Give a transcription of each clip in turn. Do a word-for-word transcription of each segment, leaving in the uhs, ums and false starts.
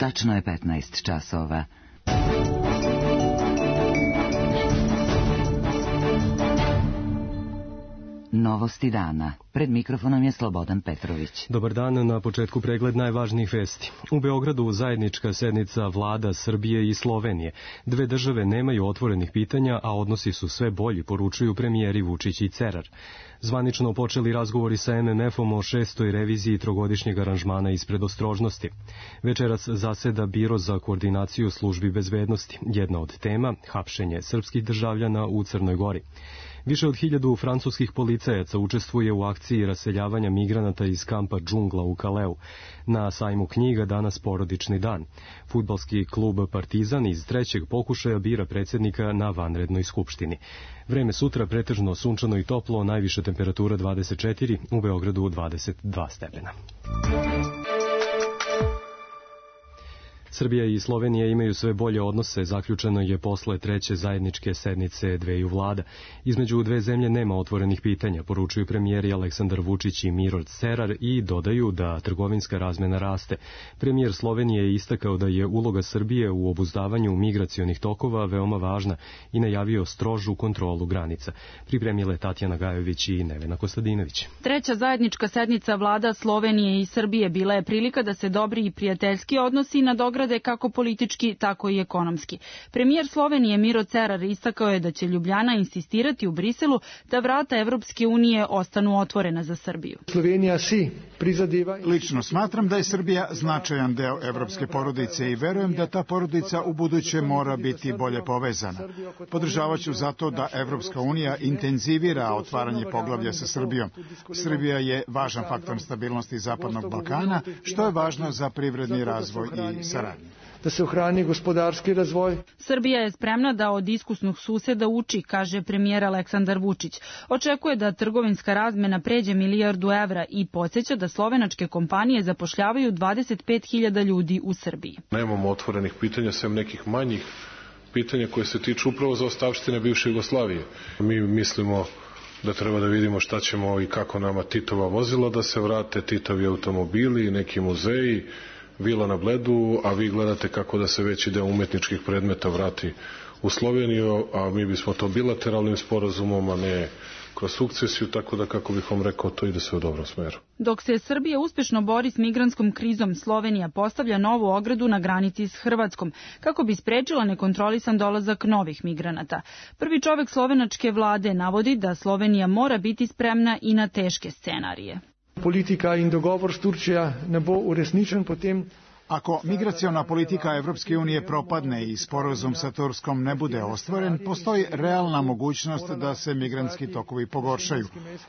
Tačno je petnaest časova. Novosti dana. Pred mikrofonom je Slobodan Petrović. Dobar dan, na početku pregled najvažnijih vesti. U Beogradu zajednička sednica vlada Srbije i Slovenije. Dve države nemaju otvorenih pitanja, a odnosi su sve bolji, poručuju premijeri Vučić i Cerar. Zvanično počeli razgovori sa em em efom o šestoj reviziji trogodišnjeg aranžmana iz predostrožnosti. Večeras zaseda Biro za koordinaciju službi bezbednosti. Jedna od tema, hapšenje srpskih državljana u Crnoj Gori. Više od hiljadu francuskih policajaca učestvuje u akciji raseljavanja migranata iz kampa Džungla u Kaleu. Na sajmu knjiga danas porodični dan. Fudbalski klub Partizan iz trećeg pokušaja bira predsjednika na vanrednoj skupštini. Vreme sutra pretežno sunčano i toplo, najviša temperatura dvadeset četiri, u Beogradu dvadeset dva stepena. Srbija i Slovenija imaju sve bolje odnose, zaključeno je posle treće zajedničke sednice dveju vlada. Između dve zemlje nema otvorenih pitanja, poručuju premijeri Aleksandar Vučić i Miro Cerar i dodaju da trgovinska razmena raste. Premijer Slovenije je istakao da je uloga Srbije u obuzdavanju migracionih tokova veoma važna i najavio strožu kontrolu granica. Pripremile Tatjana Gajović i Nevena Kostadinović. Treća zajednička sednica vlada Slovenije i Srbije bila je prilika da se dobri i prijateljski odnosi nadograde kako politički, tako i ekonomski. Premijer Slovenije Miro Cerar istakao je da će Ljubljana insistirati u Briselu da vrata Evropske unije ostanu otvorena za Srbiju. Slovenija si prizadeva... Lično smatram da je Srbija značajan deo evropske porodice i verujem da ta porodica u buduće mora biti bolje povezana. Podržavaću zato da Evropska unija intenzivira otvaranje poglavlja sa Srbijom. Srbija je važan faktor stabilnosti Zapadnog Balkana, što je važno za privredni razvoj i saradnju. Da se ohrani gospodarski razvoj. Srbija je spremna da od iskusnog suseda uči, kaže premijer Aleksandar Vučić. Očekuje da trgovinska razmena pređe milijardu evra i podsjeća da slovenačke kompanije zapošljavaju dvadeset pet hiljada ljudi u Srbiji. Nemamo otvorenih pitanja, sem nekih manjih pitanja koje se tiču upravo zaostavštine bivše Jugoslavije. Mi mislimo da treba da vidimo šta ćemo i kako nama Titova vozila da se vrate, Titovi automobili, neki muzeji, vila na Bledu, a vi gledate kako da se veći deo umetničkih predmeta vrati u Sloveniju, a mi bismo to bilateralnim sporazumom, a ne kroz sukcesiju, tako da, kako bih vam rekao, to ide sve u dobrom smeru. Dok se Srbija uspešno bori s migrantskom krizom, Slovenija postavlja novu ogradu na granici s Hrvatskom, kako bi sprečila nekontrolisan dolazak novih migranata. Prvi čovek slovenačke vlade navodi da Slovenija mora biti spremna i na teške scenarije. Politika in dogovor s Turčija ne bo uresničen, potem... Ako migraciona politika Evropske unije propadne i sporazum sa Turskom ne bude ostvaren, postoji realna mogućnost da se migrantski tokovi pogoršaju.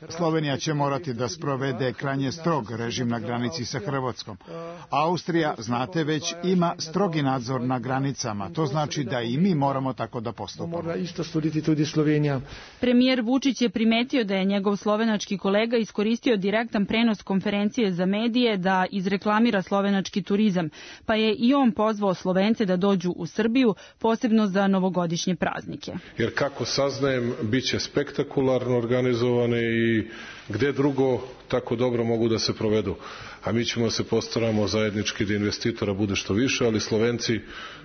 Slovenija će morati da sprovede krajnje strog režim na granici sa Hrvatskom. Austrija, znate već, ima strogi nadzor na granicama. To znači da i mi moramo tako da postupamo. Mora isto studiti tudi Slovenija. Premijer Vučić je primetio da je njegov slovenački kolega iskoristio direktan prenos konferencije za medije da izreklamira slovenački turizam, pa je i on pozvao Slovence da dođu u Srbiju, posebno za novogodišnje praznike. Jer kako saznajem, bit će spektakularno organizovane i gde drugo tako dobro mogu da se provedu. A mi ćemo se postaramo zajednički da investitora bude što više, ali Slovenci,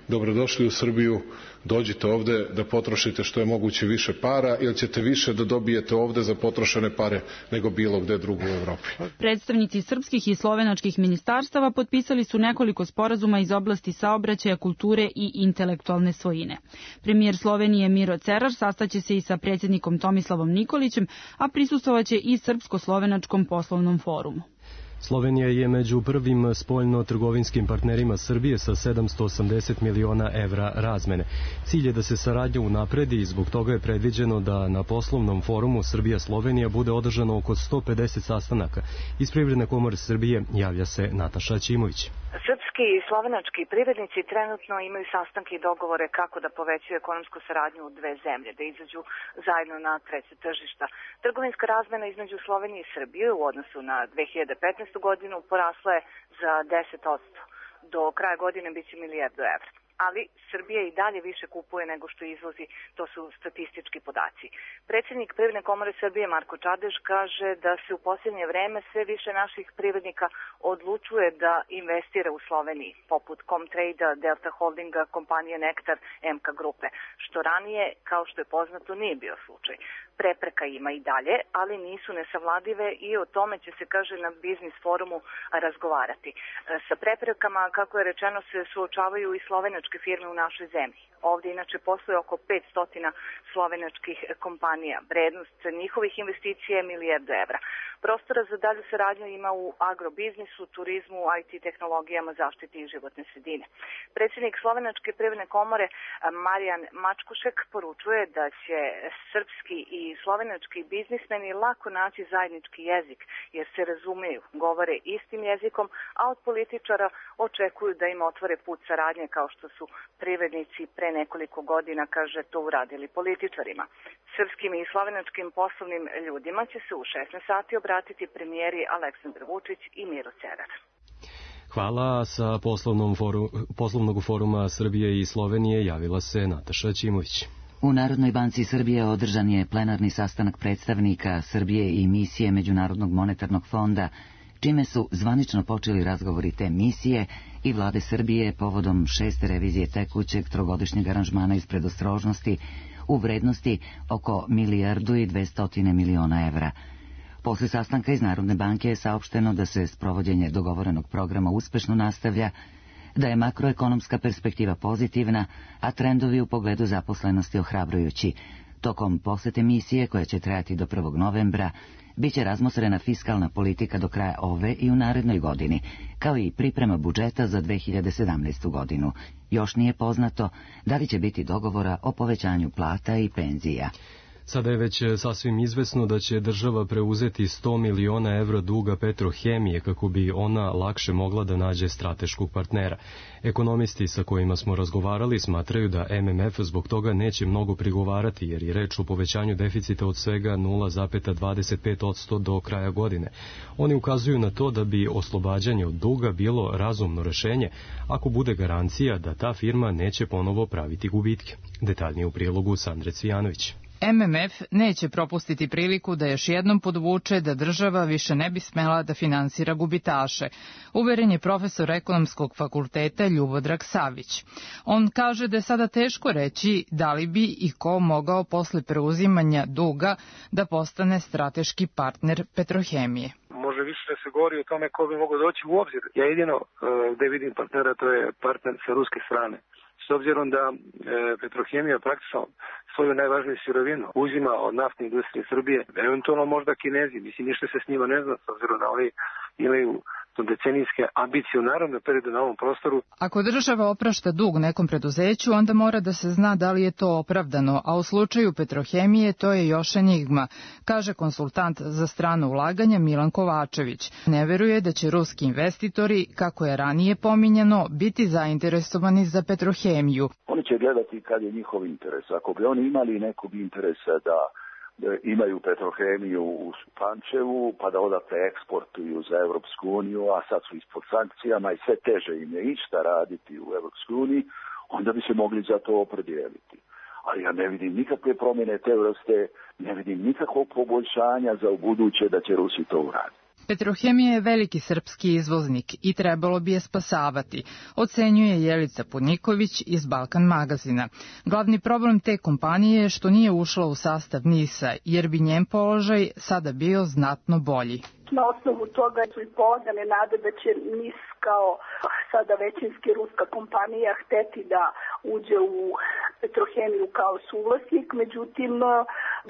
dobrodošli u Srbiju, dođite ovde da potrošite što je moguće više para, jer ćete više da dobijete ovde za potrošene pare nego bilo gde drugo u Evropi. Predstavnici srpskih i slovenačkih ministarstava potpisali su nekoliko sporazuma iz oblasti saobraćaja, kulture i intelektualne svojine. Premijer Slovenije Miro Cerar sastaće se i sa predsjednikom Tomislavom Nikolićem, a prisustvovaće i Srpsko-slovenačkom poslovnom forumu. Slovenija je među prvim spoljno-trgovinskim partnerima Srbije sa sedamsto osamdeset miliona evra razmene. Cilj je da se saradnja unapredi i zbog toga je predviđeno da na poslovnom forumu Srbija-Slovenija bude održano oko sto pedeset sastanaka. Iz Privredne komore Srbije javlja se Nataša Ćimović. Srpski i slovenački privrednici trenutno imaju sastanke i dogovore kako da povećaju ekonomsku saradnju u dve zemlje, da izađu zajedno na treće tržišta. Trgovinska razmena između Slovenije i Srbije u odnosu na dve hiljade petnaestu godinu porasla je za deset posto. Do kraja godine biće milijardu evra. ali Srbija i dalje više kupuje nego što izvozi, to su statistički podaci. Predsjednik Privredne komore Srbije Marko Čadež kaže da se u posljednje vreme sve više naših privrednika odlučuje da investira u Sloveniji, poput Comtrade-a, Delta Holdinga, kompanije Nektar, M K grupe, što ranije, kao što je poznato, nije bio slučaj. Prepreka ima i dalje, ali nisu nesavladive i o tome će se, kaže, na biznis forumu razgovarati. Sa preprekama, kako je rečeno, se suočavaju i slovenačke firme u našoj zemlji. Ovdje inače postoje oko petsto slovenačkih kompanija. Vrednost njihovih investicija je milijardu evra. Prostora za dalju saradnju ima u agrobiznisu, turizmu, I T tehnologijama, zaštiti i životne sredine. Predsjednik Slovenačke privredne komore Marijan Mačkušek poručuje da će srpski i slovenački biznismeni lako naći zajednički jezik, jer se razumeju, govore istim jezikom, a od političara očekuju da im otvore put saradnje kao što su privrednici pre nekoliko godina, kaže, to uradili političarima. Srpskim i slovenačkim poslovnim ljudima će se u šesnaest sati obratiti premijeri Aleksandar Vučić i Miro Cerar. Hvala. Sa poslovnom foru, poslovnog foruma Srbije i Slovenije javila se Nataša Ćimović. U Narodnoj banci Srbije održan je plenarni sastanak predstavnika Srbije i misije Međunarodnog monetarnog fonda, čime su zvanično počeli razgovori te misije i vlade Srbije povodom šeste revizije tekućeg trogodišnjeg aranžmana iz predostrožnosti u vrednosti oko milijardu i dvestotine miliona evra. Posle sastanka iz Narodne banke je saopšteno da se sprovođenje dogovorenog programa uspešno nastavlja, da je makroekonomska perspektiva pozitivna, a trendovi u pogledu zaposlenosti ohrabrujući. Tokom posete misije, koja će trajati do prvog novembra, biće razmotrena fiskalna politika do kraja ove i u narednoj godini, kao i priprema budžeta za dve hiljade sedamnaestu. godinu. Još nije poznato da li će biti dogovora o povećanju plata i penzija. Sada je već sasvim izvesno da će država preuzeti sto miliona evra duga Petrohemije kako bi ona lakše mogla da nađe strateškog partnera. Ekonomisti sa kojima smo razgovarali smatraju da M M F zbog toga neće mnogo prigovarati, jer je reč o povećanju deficita od svega nula zarez dvadeset pet posto do kraja godine. Oni ukazuju na to da bi oslobađanje od duga bilo razumno rešenje ako bude garancija da ta firma neće ponovo praviti gubitke. Detaljnije u prilogu Sandre Cvijanović. M M F neće propustiti priliku da još jednom podvuče da država više ne bi smela da finansira gubitaše, uveren je profesor ekonomskog fakulteta Ljubodrag Savić. On kaže da je sada teško reći da li bi i ko mogao posle preuzimanja duga da postane strateški partner Petrohemije. Može više da se govori o tome ko bi mogao doći u obzir. Ja jedino gde vidim partnera, to je partner sa ruske strane. S obzirom da e, Petrohemija praktično svoju najvažniju sirovinu uzima od naftne industrije Srbije, eventualno možda Kinezi, mislim ništa se s njima ne zna, s obzirom da oni imaju decenijske ambicije u naravnom periodu na ovom prostoru. Ako država oprašta dug nekom preduzeću, onda mora da se zna da li je to opravdano, a u slučaju Petrohemije to je još enigma, kaže konsultant za strano ulaganja Milan Kovačević. Ne veruje da će ruski investitori, kako je ranije pominjano, biti zainteresovani za Petrohemiju. Oni će gledati kad je njihov interes. Ako bi oni imali nekog interesa da imaju Petrohemiju u Pančevu, pa da odatle eksportuju za Evropsku uniju, a sad su ispod sankcijama i sve teže im je išta raditi u Evropskoj uniji, onda bi se mogli za to opredijeliti. Ali ja ne vidim nikakve promjene te vrste, ne vidim nikakvog poboljšanja za ubuduće da će Rusi to uraditi. Petrohemija je veliki srpski izvoznik i trebalo bi je spasavati, ocenjuje Jelica Podniković iz Balkan magazina. Glavni problem te kompanije je što nije ušla u sastav NIS-a, jer bi njen položaj sada bio znatno bolji. Na osnovu toga su i pouzdane nade da će NIS kao sada većinski ruska kompanija hteti da uđe u Petrohemiju kao suvlasnik, međutim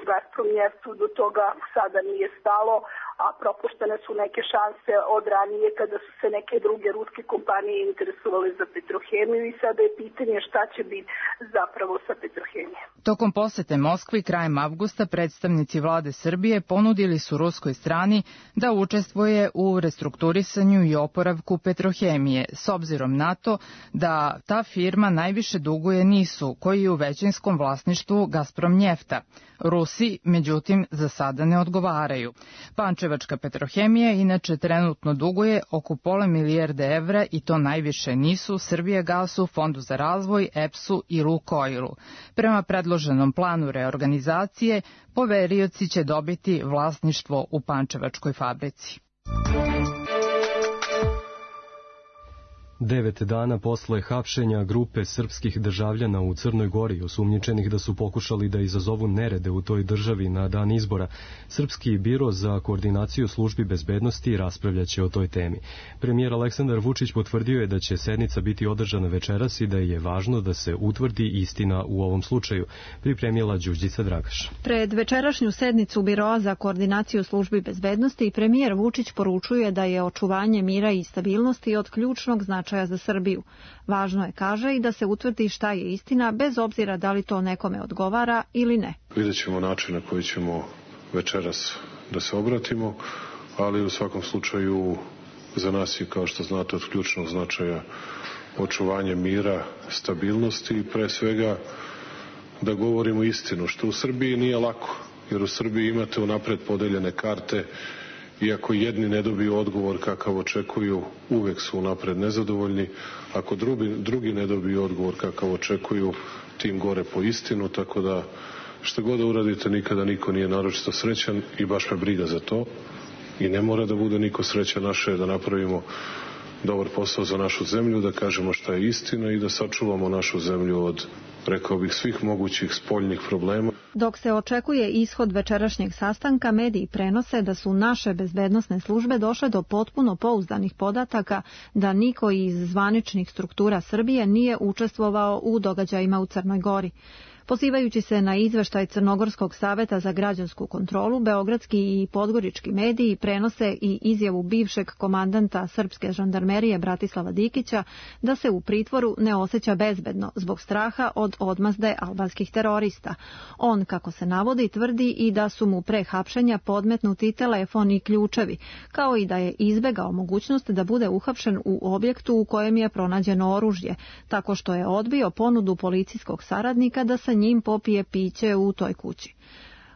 Gazprom Neftu do toga sada nije stalo, a propuštene su neke šanse od ranije kada su se neke druge ruske kompanije interesovale za Petrohemiju i sada je pitanje šta će biti zapravo sa Petrohemijom. Tokom posete Moskvi krajem avgusta predstavnici vlade Srbije ponudili su ruskoj strani da učestvuje u restrukturisanju i oporavku Petrohemije, s obzirom na to da ta firma najviše duguje NIS-u, koji je u većinskom vlasništvu Gazprom Njefta. Rusi, međutim, za sada ne odgovaraju. Pančevo Pančevačka Petrohemija inače trenutno duguje oko pola milijarde evra i to najviše nisu Srbijagasu, Fondu za razvoj, E P S-u i Lukoilu. Prema predloženom planu reorganizacije, poverioci će dobiti vlasništvo u Pančevačkoj fabrici. Devet dana posle hapšenja grupe srpskih državljana u Crnoj Gori, osumnjičenih da su pokušali da izazovu nerede u toj državi na dan izbora, Srpski biro za koordinaciju službi bezbednosti raspravljaće o toj temi. Premijer Aleksandar Vučić potvrdio je da će sednica biti održana večeras i da je važno da se utvrdi istina u ovom slučaju, pripremila Đurđica Dragaš. Pred večerašnju sednicu Biroa za koordinaciju službi bezbednosti premijer Vučić poručuje da je očuvanje mira i stabilnosti od ključnog značaja za Srbiju. Važno je, kaže, i da se utvrdi šta je istina, bez obzira da li to nekome odgovara ili ne. Vidjet ćemo način na koji ćemo večeras da se obratimo, ali u svakom slučaju za nas je, kao što znate, od ključnog značaja očuvanje mira, stabilnosti i pre svega da govorimo istinu, što u Srbiji nije lako, jer u Srbiji imate unapred podeljene karte. Iako jedni ne dobiju odgovor kakav očekuju, uvek su unapred nezadovoljni. Ako drugi, drugi ne dobiju odgovor kakav očekuju, tim gore po istinu, tako da što god da uradite, nikada niko nije naročito srećan i baš me briga za to. I ne mora da bude niko srećan, naše je da napravimo dobar posao za našu zemlju, da kažemo šta je istina i da sačuvamo našu zemlju od, rekao bih, svih mogućih spoljnih problema. Dok se očekuje ishod večerašnjeg sastanka, mediji prenose da su naše bezbednosne službe došle do potpuno pouzdanih podataka da niko iz zvaničnih struktura Srbije nije učestvovao u događajima u Crnoj Gori. Pozivajući se na izveštaj Crnogorskog saveta za građansku kontrolu, beogradski i podgorički mediji prenose i izjavu bivšeg komandanta srpske žandarmerije Bratislava Dikića da se u pritvoru ne osjeća bezbedno zbog straha od odmazde albanskih terorista. On, kako se navodi, tvrdi i da su mu pre hapšenja podmetnuti telefon i ključevi, kao i da je izbegao mogućnost da bude uhapšen u objektu u kojem je pronađeno oružje, tako što je odbio ponudu policijskog saradnika da sa njim popije piće u toj kući.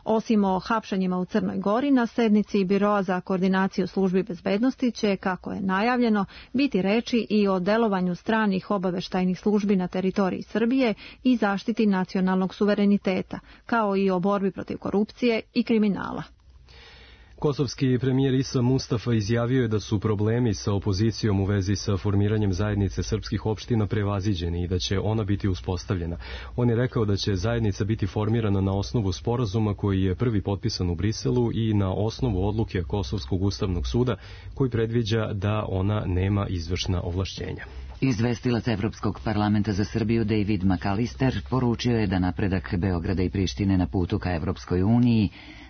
Osim o hapšenjima u Crnoj Gori, na sednici Biroa za koordinaciju službi bezbednosti će, kako je najavljeno, biti reči i o delovanju stranih obaveštajnih službi na teritoriji Srbije i zaštiti nacionalnog suvereniteta, kao i o borbi protiv korupcije i kriminala. Kosovski premijer Isa Mustafa izjavio je da su problemi sa opozicijom u vezi sa formiranjem zajednice srpskih opština prevaziđeni i da će ona biti uspostavljena. On je rekao da će zajednica biti formirana na osnovu sporazuma koji je prvi potpisan u Briselu i na osnovu odluke Kosovskog ustavnog suda koji predviđa da ona nema izvršna ovlašćenja. Izvestilac Evropskog parlamenta za Srbiju David McAllister poručio je da napredak Beograda i Prištine na putu ka Evropskoj uniji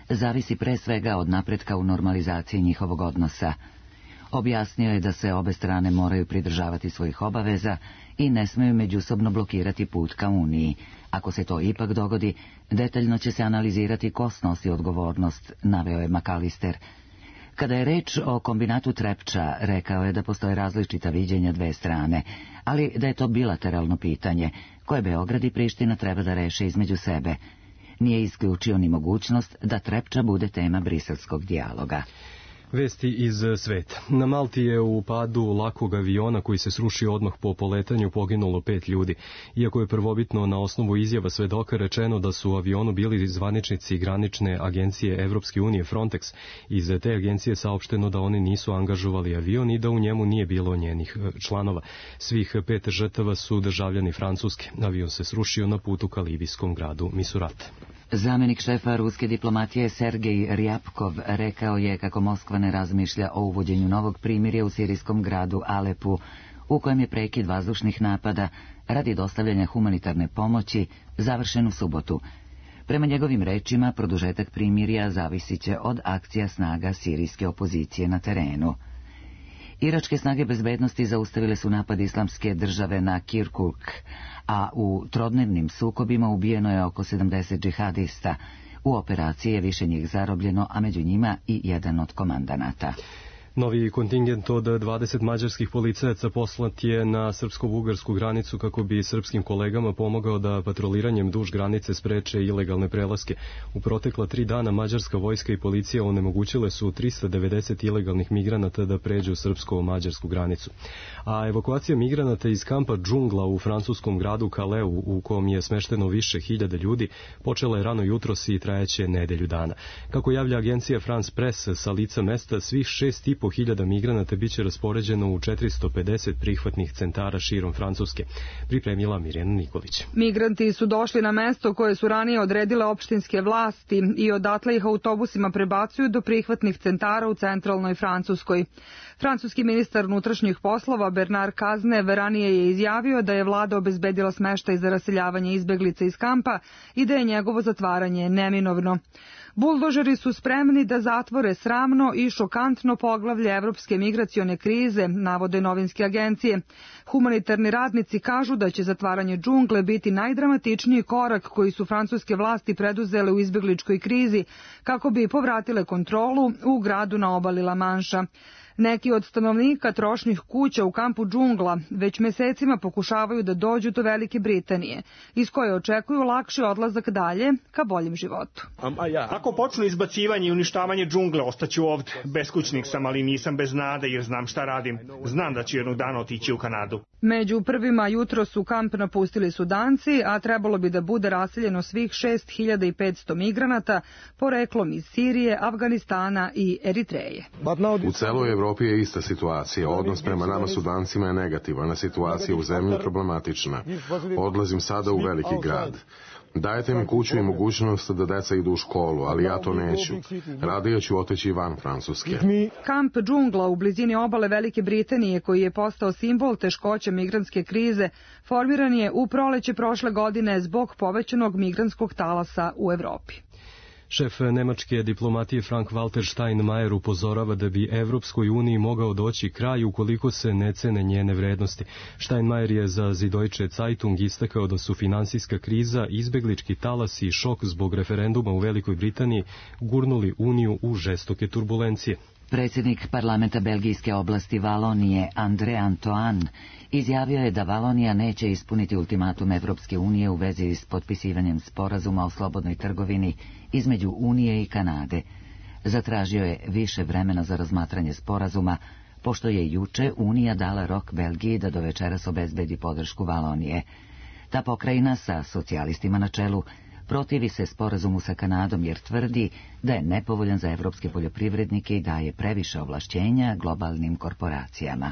zavisi pre svega od napretka u normalizaciji njihovog odnosa. Objasnio je da se obe strane moraju pridržavati svojih obaveza i ne smeju međusobno blokirati put ka Uniji. Ako se to ipak dogodi, detaljno će se analizirati ko snosi odgovornost, naveo je McAllister. Kada je reč o kombinatu Trepča, rekao je da postoje različita viđenja dve strane, ali da je to bilateralno pitanje koje Beograd i Priština treba da reše između sebe. Nije isključio ni mogućnost da Trepča bude tema briselskog dijaloga. Vesti iz sveta. Na Malti je u padu lakog aviona koji se srušio odmah po poletanju poginulo pet ljudi. Iako je prvobitno na osnovu izjava svedoka rečeno da su u avionu bili zvaničnici granične agencije Evropske unije Frontex, iz te agencije saopšteno da oni nisu angažovali avion i da u njemu nije bilo njenih članova. Svih pet žrtava su državljani Francuske. Avion se srušio na putu ka libijskom gradu Misurat. Zamjenik šefa ruske diplomatije Sergej Rjapkov rekao je kako Moskva ne razmišlja o uvođenju novog primirja u sirijskom gradu Alepu, u kojem je prekid vazdušnih napada radi dostavljanja humanitarne pomoći završen u subotu. Prema njegovim rečima, produžetak primirja zavisit će od akcija snaga sirijske opozicije na terenu. Iračke snage bezbednosti zaustavile su napad islamske države na Kirkuk, a u trodnevnim sukobima ubijeno je oko sedamdeset džihadista. U operaciji je više njih zarobljeno, a među njima i jedan od komandanata. Novi kontingent od dvadeset mađarskih policajaca poslat je na srpsko-bugarsku granicu kako bi srpskim kolegama pomogao da patroliranjem duž granice spreče ilegalne prelaske. U protekla tri dana mađarska vojska i policija onemogućile su trista devedeset ilegalnih migranata da pređu srpsko-mađarsku granicu. A evakuacija migranata iz kampa Džungla u francuskom gradu Kaleu, u kom je smešteno više hiljada ljudi, počela je rano jutros i trajeće nedelju dana. Kako javlja agencija France Press, sa lica mesta svih šest i po hiljada migranata biće raspoređeno u četiristo pedeset prihvatnih centara širom Francuske. Pripremila Mirjana Nikolić. Migranti su došli na mesto koje su ranije odredile opštinske vlasti i odatle ih autobusima prebacuju do prihvatnih centara u centralnoj Francuskoj. Francuski ministar unutrašnjih poslova Bernard Cazeneuve ranije je izjavio da je vlada obezbedila smeštaj za raseljavanje izbeglica iz kampa i da je njegovo zatvaranje neminovno. Buldožeri su spremni da zatvore sramno i šokantno poglavlje evropske migracione krize, navode novinske agencije. Humanitarni radnici kažu da će zatvaranje džungle biti najdramatičniji korak koji su francuske vlasti preduzele u izbegličkoj krizi kako bi povratile kontrolu u gradu na obali La Manša. Neki od stanovnika trošnih kuća u kampu Džungla već mesecima pokušavaju da dođu do Velike Britanije, iz koje očekuju lakši odlazak dalje ka boljem životu. Ako počnu izbacivanje i uništavanje džungle, ostaću ovde. Beskućnik sam, ali nisam bez nade jer znam šta radim. Znam da ću jednog dana otići u Kanadu. Među prvima jutro su kamp napustili Sudanci, a trebalo bi da bude raseljeno svih šest hiljada petsto migranata, poreklom iz Sirije, Afganistana i Eritreje. U celoj Evropi je ista situacija. Odnos prema nama Sudancima je negativan, a situacija u zemlji je problematična. Odlazim sada u veliki grad. Dajete mi kuću i mogućnost da deca idu u školu, ali ja to neću. Radije ću otići van Francuske. Kamp Džungla u blizini obale Velike Britanije, koji je postao simbol teškoća migrantske krize, formiran je u proleće prošle godine zbog povećanog migrantskog talasa u Evropi. Šef nemačke diplomatije Frank-Walter Steinmeier upozorava da bi Evropskoj uniji mogao doći kraj ukoliko se ne cene njene vrednosti. Steinmeier je za Süddeutsche Zeitung istakao da su finansijska kriza, izbeglički talas i šok zbog referenduma u Velikoj Britaniji gurnuli uniju u žestoke turbulencije. Predsjednik parlamenta belgijske oblasti Valonije André Antoine izjavio je da Valonija neće ispuniti ultimatum Evropske unije u vezi s potpisivanjem sporazuma o slobodnoj trgovini između Unije i Kanade. Zatražio je više vremena za razmatranje sporazuma, pošto je juče Unija dala rok Belgiji da do večeras obezbedi podršku Valonije. Ta pokrajina sa socijalistima na čelu protivi se sporazumu sa Kanadom jer tvrdi da je nepovoljan za evropske poljoprivrednike i daje previše ovlašćenja globalnim korporacijama.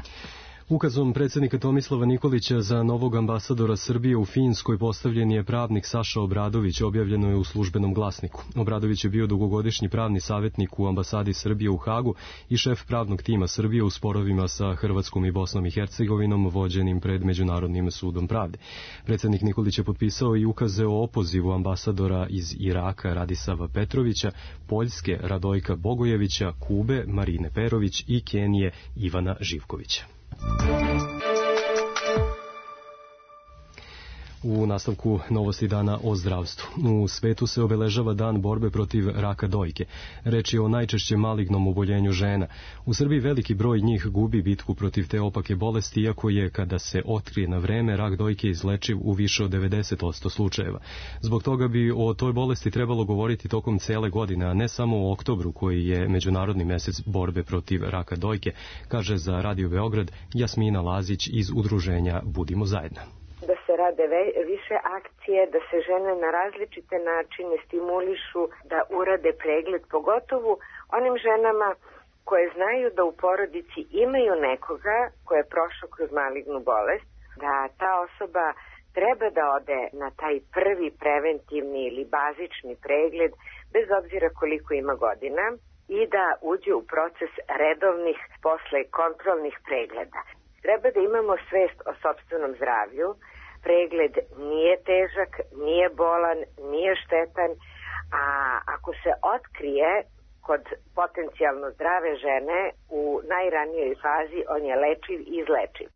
Ukazom predsjednika Tomislava Nikolića za novog ambasadora Srbije u Finskoj postavljen je pravnik Saša Obradović, objavljeno je u Službenom glasniku. Obradović je bio dugogodišnji pravni savjetnik u ambasadi Srbije u Hagu i šef pravnog tima Srbije u sporovima sa Hrvatskom i Bosnom i Hercegovinom vođenim pred Međunarodnim sudom pravde. Predsjednik Nikolić je potpisao i ukaze o opozivu ambasadora iz Iraka Radisava Petrovića, Poljske Radojka Bogojevića, Kube Marine Perović i Kenije Ivana Živkovića. U nastavku novosti dana o zdravstvu. U svetu se obeležava dan borbe protiv raka dojke. Reč je o najčešće malignom oboljenju žena. U Srbiji veliki broj njih gubi bitku protiv te opake bolesti, iako je, kada se otkrije na vreme, rak dojke izlečiv u više od devedeset posto slučajeva. Zbog toga bi o toj bolesti trebalo govoriti tokom cele godine, a ne samo u oktobru, koji je Međunarodni mesec borbe protiv raka dojke, kaže za Radio Beograd Jasmina Lazić iz udruženja Budimo zajedno. Da se rade više akcije, da se žene na različite načine stimulišu da urade pregled, pogotovo onim ženama koje znaju da u porodici imaju nekoga ko je prošao kroz malignu bolest, da ta osoba treba da ode na taj prvi preventivni ili bazični pregled, bez obzira koliko ima godina, i da uđe u proces redovnih posle kontrolnih pregleda. Treba da imamo svest o sopstvenom zdravlju. Pregled nije težak, nije bolan, nije štetan, a ako se otkrije kod potencijalno zdrave žene u najranijoj fazi, on je lečiv i izlečiv.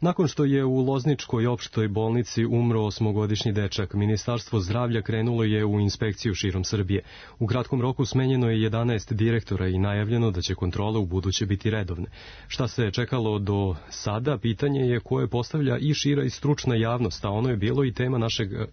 Nakon što je u Lozničkoj opštoj bolnici umro osmogodišnji dečak, Ministarstvo zdravlja krenulo je u inspekciju širom Srbije. U kratkom roku smenjeno je jedanaest direktora i najavljeno da će kontrole u buduće biti redovne. Šta se čekalo do sada, pitanje je koje postavlja i šira i stručna javnost, a ono je bilo i tema našeg e, e,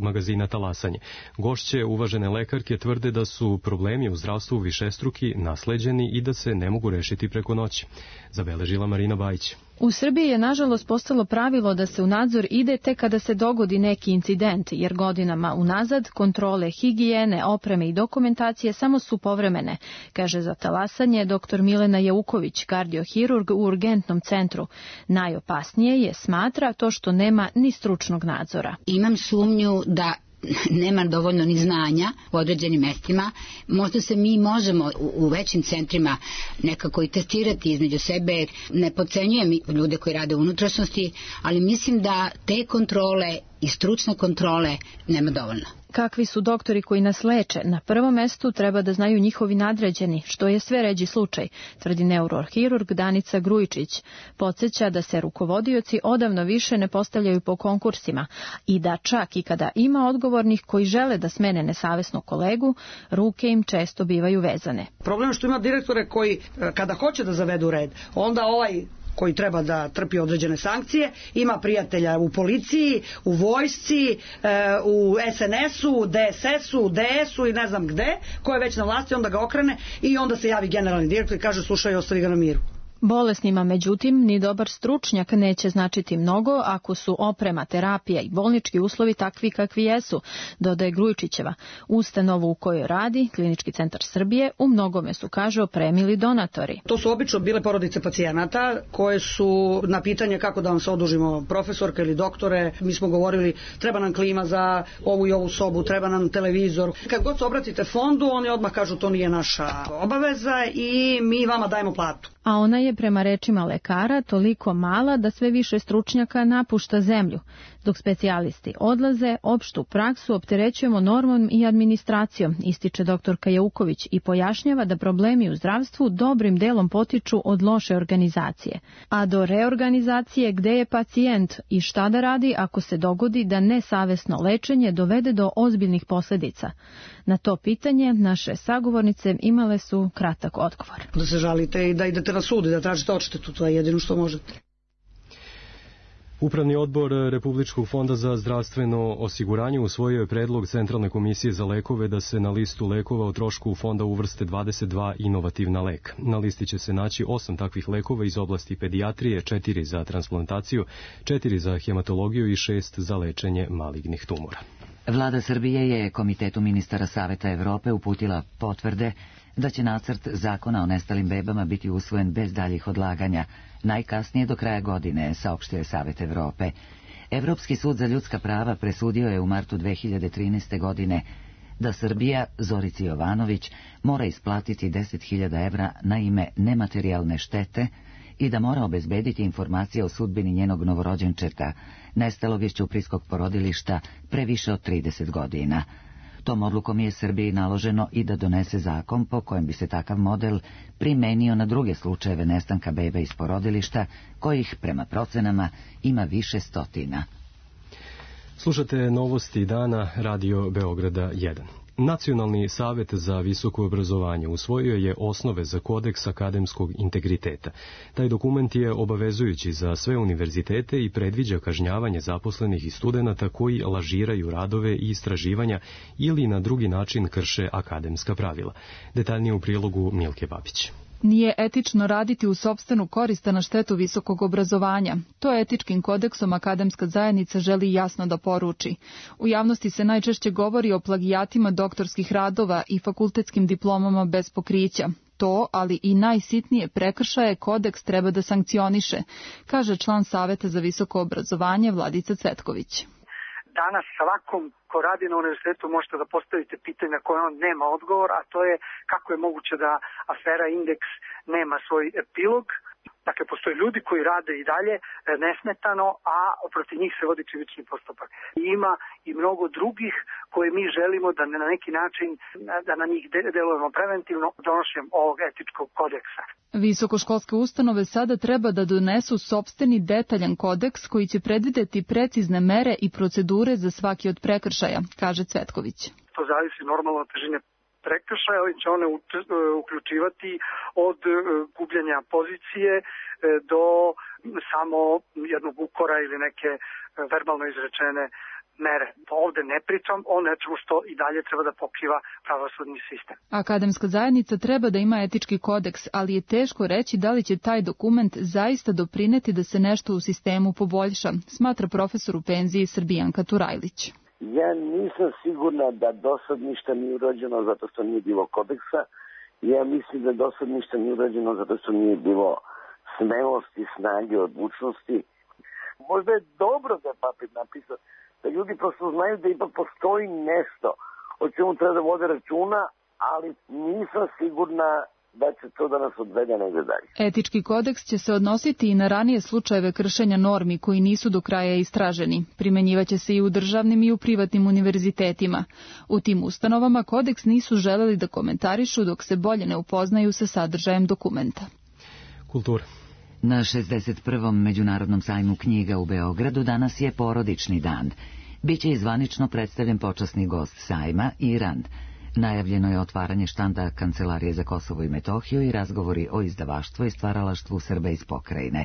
magazina Talasanje. Gošće, uvažene lekarke, tvrde da su problemi u zdravstvu višestruki, nasleđeni i da se ne mogu rešiti preko noći. Zabeležila Marina Bajić. U Srbiji je nažalost postalo pravilo da se u nadzor ide tek kada se dogodi neki incident, jer godinama unazad kontrole higijene, opreme i dokumentacije samo su povremene, kaže za Talasanje doktor Milena Jauković, kardiohirurg u urgentnom centru. Najopasnije je, smatra, to što nema ni stručnog nadzora. Imam sumnju da nema dovoljno ni znanja u određenim mestima. Možda se mi možemo u, u većim centrima nekako i testirati između sebe. Ne podcenjujem ljude koji rade u unutrašnjosti, ali mislim da te kontrole i stručne kontrole nema dovoljno. Kakvi su doktori koji nas leče? Na prvom mestu treba da znaju njihovi nadređeni, što je sve ređi slučaj, tvrdi neurohirurg Danica Grujičić. Podsjeća da se rukovodioci odavno više ne postavljaju po konkursima i da čak i kada ima odgovornih koji žele da smene nesavesnog kolegu, ruke im često bivaju vezane. Problem je što ima direktore koji kada hoće da zavedu red, onda ovaj koji treba da trpi određene sankcije, ima prijatelja u policiji, u vojsci, u es en esu, de es esu, de esu i ne znam gde, ko je već na vlasti, onda ga okrene i onda se javi generalni direktor i kaže slušaj, ostavi ga na miru. Bolesnima, međutim, ni dobar stručnjak neće značiti mnogo ako su oprema, terapija i bolnički uslovi takvi kakvi jesu, dodaje Grujičićeva. Ustanovu u kojoj radi, Klinički centar Srbije, u mnogome su, kaže, opremili donatori. To su obično bile porodice pacijenata koje su na pitanje kako da vam se odužimo profesorka ili doktore, mi smo govorili treba nam klima za ovu i ovu sobu, treba nam televizor. Kad god se obratite fondu, oni odmah kažu to nije naša obaveza i mi vama dajemo platu. A ona je prema rečima lekara toliko mala da sve više stručnjaka napušta zemlju. Dok specijalisti odlaze, opštu praksu opterećujemo normom i administracijom, ističe doktorka Jauković i pojašnjava da problemi u zdravstvu dobrim delom potiču od loše organizacije. A do reorganizacije gde je pacijent i šta da radi ako se dogodi da nesavesno lečenje dovede do ozbiljnih posledica. Na to pitanje naše sagovornice imale su kratak odgovor. Da se žalite i da idete na sud i da tražite odštetu, to je jedino što možete. Upravni odbor Republičkog fonda za zdravstveno osiguranje usvojio je predlog Centralne komisije za lekove da se na listu lekova o trošku fonda uvrste dvadeset dva inovativna leka. Na listi će se naći osam takvih lekova iz oblasti pedijatrije, četiri za transplantaciju, četiri za hematologiju i šest za lečenje malignih tumora. Vlada Srbije je Komitetu ministara Saveta Evrope uputila potvrde da će nacrt zakona o nestalim bebama biti usvojen bez daljih odlaganja, najkasnije do kraja godine, saopštio je Savet Evrope. Evropski sud za ljudska prava presudio je u martu dve hiljade trinaeste. godine da Srbija, Zorici Jovanović, mora isplatiti deset hiljada evra na ime nematerijalne štete i da mora obezbediti informacije o sudbini njenog novorođenčeta, nestalog iz ćuprijskog porodilišta pre više od trideset godina. Tom odlukom je Srbiji naloženo i da donese zakon po kojem bi se takav model primenio na druge slučajeve nestanka bebe iz porodilišta, kojih, prema procenama, ima više stotina. Slušate novosti dana Radio Beograda jedan. Nacionalni savet za visoko obrazovanje usvojio je osnove za kodeks akademskog integriteta. Taj dokument je obavezujući za sve univerzitete i predviđa kažnjavanje zaposlenih i studenata koji lažiraju radove i istraživanja ili na drugi način krše akademska pravila. Detaljnije u prilogu Milke Babić. Nije etično raditi u sopstvenu korist na štetu visokog obrazovanja. To etičkim kodeksom akademska zajednica želi jasno da poruči. U javnosti se najčešće govori o plagijatima doktorskih radova i fakultetskim diplomama bez pokrića. To, ali i najsitnije prekršaje, kodeks treba da sankcioniše, kaže član Saveta za visoko obrazovanje Vladica Cvetković. Danas svakom ko radi na univerzitetu možete da postavite pitanje na koje on nema odgovor, a to je kako je moguće da afera Indeks nema svoj epilog. Dakle, postoje ljudi koji rade i dalje nesmetano, a protiv njih se vodi krivični postupak. I ima i mnogo drugih koje mi želimo da na neki način, da na njih delujemo preventivno donošenjem ovog etičkog kodeksa. Visokoškolske ustanove sada treba da donesu sopstveni detaljan kodeks koji će predvideti precizne mere i procedure za svaki od prekršaja, kaže Cvetković. To zavisi normalno od težine prekršaja, ali će one uključivati od gubljenja pozicije do samo jednog ukora ili neke verbalno izrečene mere. Pa ovde ne pričam o nečemu što i dalje treba da pokriva pravosudni sistem. Akademska zajednica treba da ima etički kodeks, ali je teško reći da li će taj dokument zaista doprineti da se nešto u sistemu poboljša, smatra profesor u penziji Srbijanka Turajlić. Ja nisam sigurna da do sad ništa nije urađeno zato što nije bilo kodeksa. Ja mislim da do sad ništa nije urađeno zato što nije bilo smelosti, snage, odlučnosti. Možda je dobro da je papir napisao, da ljudi prosto znaju da ipak postoji nešto o čemu treba da vode računa, ali nisam sigurna da će to da nas odvede negde dalje. Etički kodeks će se odnositi i na ranije slučajeve kršenja normi koji nisu do kraja istraženi. Primenjivaće se i u državnim i u privatnim univerzitetima. U tim ustanovama kodeks nisu želeli da komentarišu dok se bolje ne upoznaju sa sadržajem dokumenta. Kultura. Na šezdeset prvom Međunarodnom sajmu knjiga u Beogradu danas je porodični dan. Biće i zvanično predstavljen počasni gost sajma Irand. Najavljeno je otvaranje štanda Kancelarije za Kosovo i Metohiju i razgovori o izdavaštvu i stvaralaštvu Srba iz pokrajine.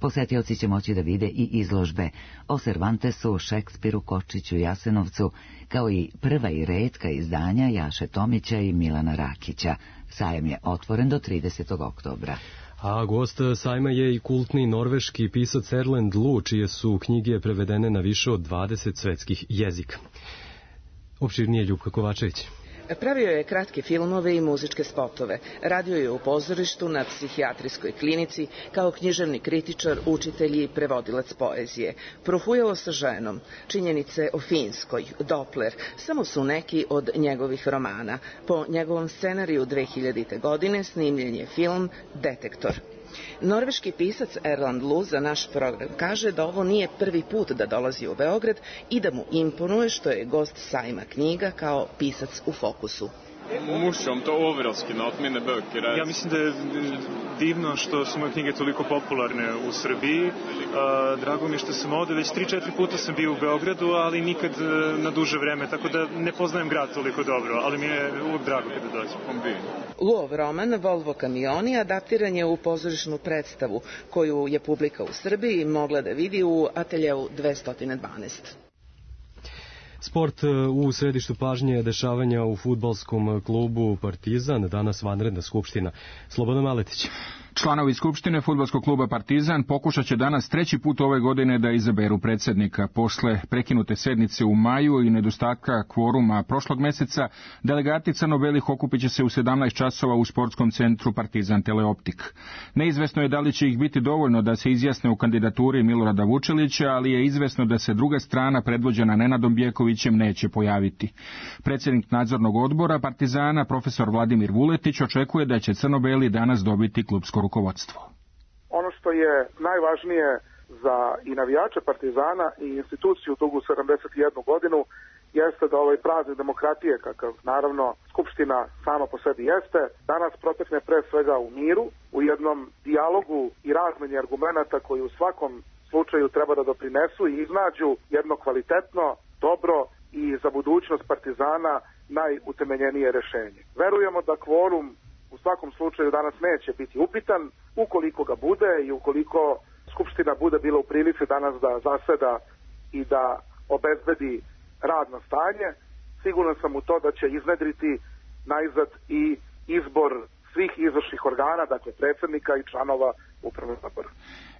Posetioci će moći da vide i izložbe o Cervantesu, Šekspiru, Kočiću, Jasenovcu, kao i prva i retka izdanja Jaše Tomića i Milana Rakića. Sajam je otvoren do tridesetog oktobra. A gost sajma je i kultni norveški pisac Erlend Loe, čije su knjige prevedene na više od dvadeset svetskih jezika. Opširnije Ljubka Kovačević. Pravio je kratke filmove i muzičke spotove. Radio je u pozorištu, na psihijatrijskoj klinici, kao književni kritičar, učitelj i prevodilac poezije. Profujao sa ženom. Činjenice o Finskoj, Doppler, samo su neki od njegovih romana. Po njegovom scenariju dve hiljadite. godine snimljen je film Detektor. Norveški pisac Erlend Loe za naš program kaže da ovo nije prvi put da dolazi u Beograd i da mu imponuje što je gost sajma knjiga kao pisac u fokusu. Morsomt og overraskende at mine bøker er... Ja mislim da je divno što su moje knjige toliko popularne u Srbiji. Drago mi je što sam ovde, već tri četiri puta sam bio u Beogradu, ali nikad na duže vreme, tako da ne poznajem grad toliko dobro, ali mi je uvek drago kada dođem. Loeov roman Volvo kamioni adaptiran je u pozorišnu predstavu, koju je publika u Srbiji mogla da vidi u ateljeu dvesta dvanaest. Sport u središtu pažnje dešavanja u fudbalskom klubu Partizan, danas vanredna skupština. Slobodan Maletić. Članovi Skupštine fudbalskog kluba Partizan pokušat će danas treći put ove godine da izaberu predsjednika. Posle prekinute sednice u maju i nedostatka kvoruma prošlog meseca, delegati crno-belih okupit će se u sedamnaest časova u sportskom centru Partizan Teleoptik. Neizvesno je da li će ih biti dovoljno da se izjasne u kandidaturi Milorada Vučelića, ali je izvesno da se druga strana predvođena Nenadom Bjekovićem neće pojaviti. Predsjednik nadzornog odbora Partizana, profesor Vladimir Vuletić, očekuje da će crno-beli danas dobiti klupsko rukovodstvo. Ono što je najvažnije za i navijače Partizana i instituciju dugu sedamdeset jednu godinu jeste da ovaj praznik demokratije, kakav naravno Skupština sama po sebi jeste, danas protekne pre svega u miru, u jednom dijalogu i razmeni argumenata koji u svakom slučaju treba da doprinesu i iznađu jedno kvalitetno, dobro i za budućnost Partizana najutemeljenije rešenje. Verujemo da kvorum u svakom slučaju danas neće biti upitan, ukoliko ga bude i ukoliko Skupština bude bila u prilici danas da zaseda i da obezbedi radno stanje, siguran sam u to da će iznedriti najzad i izbor svih izvršnih organa, dakle predsjednika i članova upravnog odbora.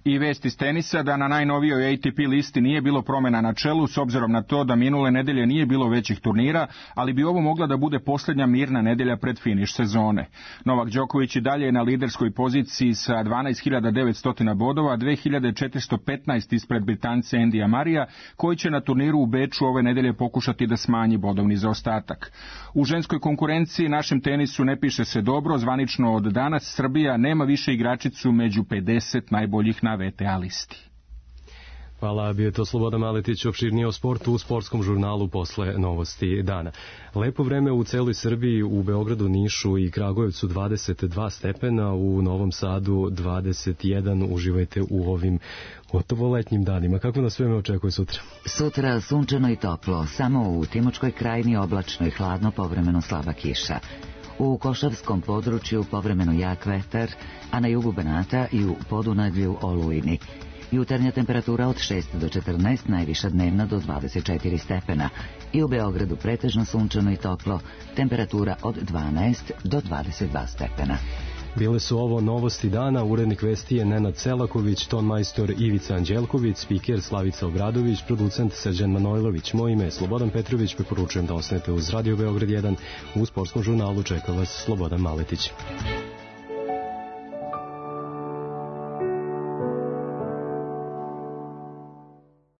I vest iz tenisa da na najnovijoj A T P listi nije bilo promjena na čelu s obzirom na to da minule nedelje nije bilo većih turnira, ali bi ovo mogla da bude posljednja mirna nedelja pred finiš sezone. Novak Đoković i dalje je na liderskoj poziciji sa dvanaest hiljada devetsto bodova, dve hiljade četiristo petnaest ispred Britance Endija Marija, koji će na turniru u Beču ove nedelje pokušati da smanji bodovni zaostatak. U ženskoj konkurenciji našem tenisu ne piše se dobro, zvanično od danas Srbija nema više igračicu među pedeset najboljih na V T A listi. Hvala, bio je to Slobodan Maletić, opširnije o sportu u sportskom žurnalu posle novosti dana. Lepo vreme u celoj Srbiji, u Beogradu, Nišu i Kragujevcu dvadeset dva stepena, u Novom Sadu dvadeset jedan. Uživajte u ovim gotovo letnjim danima. Kako nas vreme očekuje sutra? Sutra sunčano i toplo, samo u Timočkoj krajini oblačno i hladno, povremeno slaba kiša. U Košavskom području povremeno jak vetar, a na jugu Banata i u Podunavlju olujni. Jutarnja temperatura od šest do četrnaest, najviša dnevna do dvadeset četiri stepena. I u Beogradu pretežno sunčano i toplo, temperatura od dvanaest do dvadeset dva stepena. Bile su ovo novosti dana, urednik vesti je Nenad Selaković, tonmajstor Ivica Anđelković, spiker Slavica Obradović, producent Srđan Manojlović. Moje ime je Slobodan Petrović, preporučujem da ostanete uz Radio Beograd jedan. U sportskom žurnalu čeka vas Slobodan Maletić.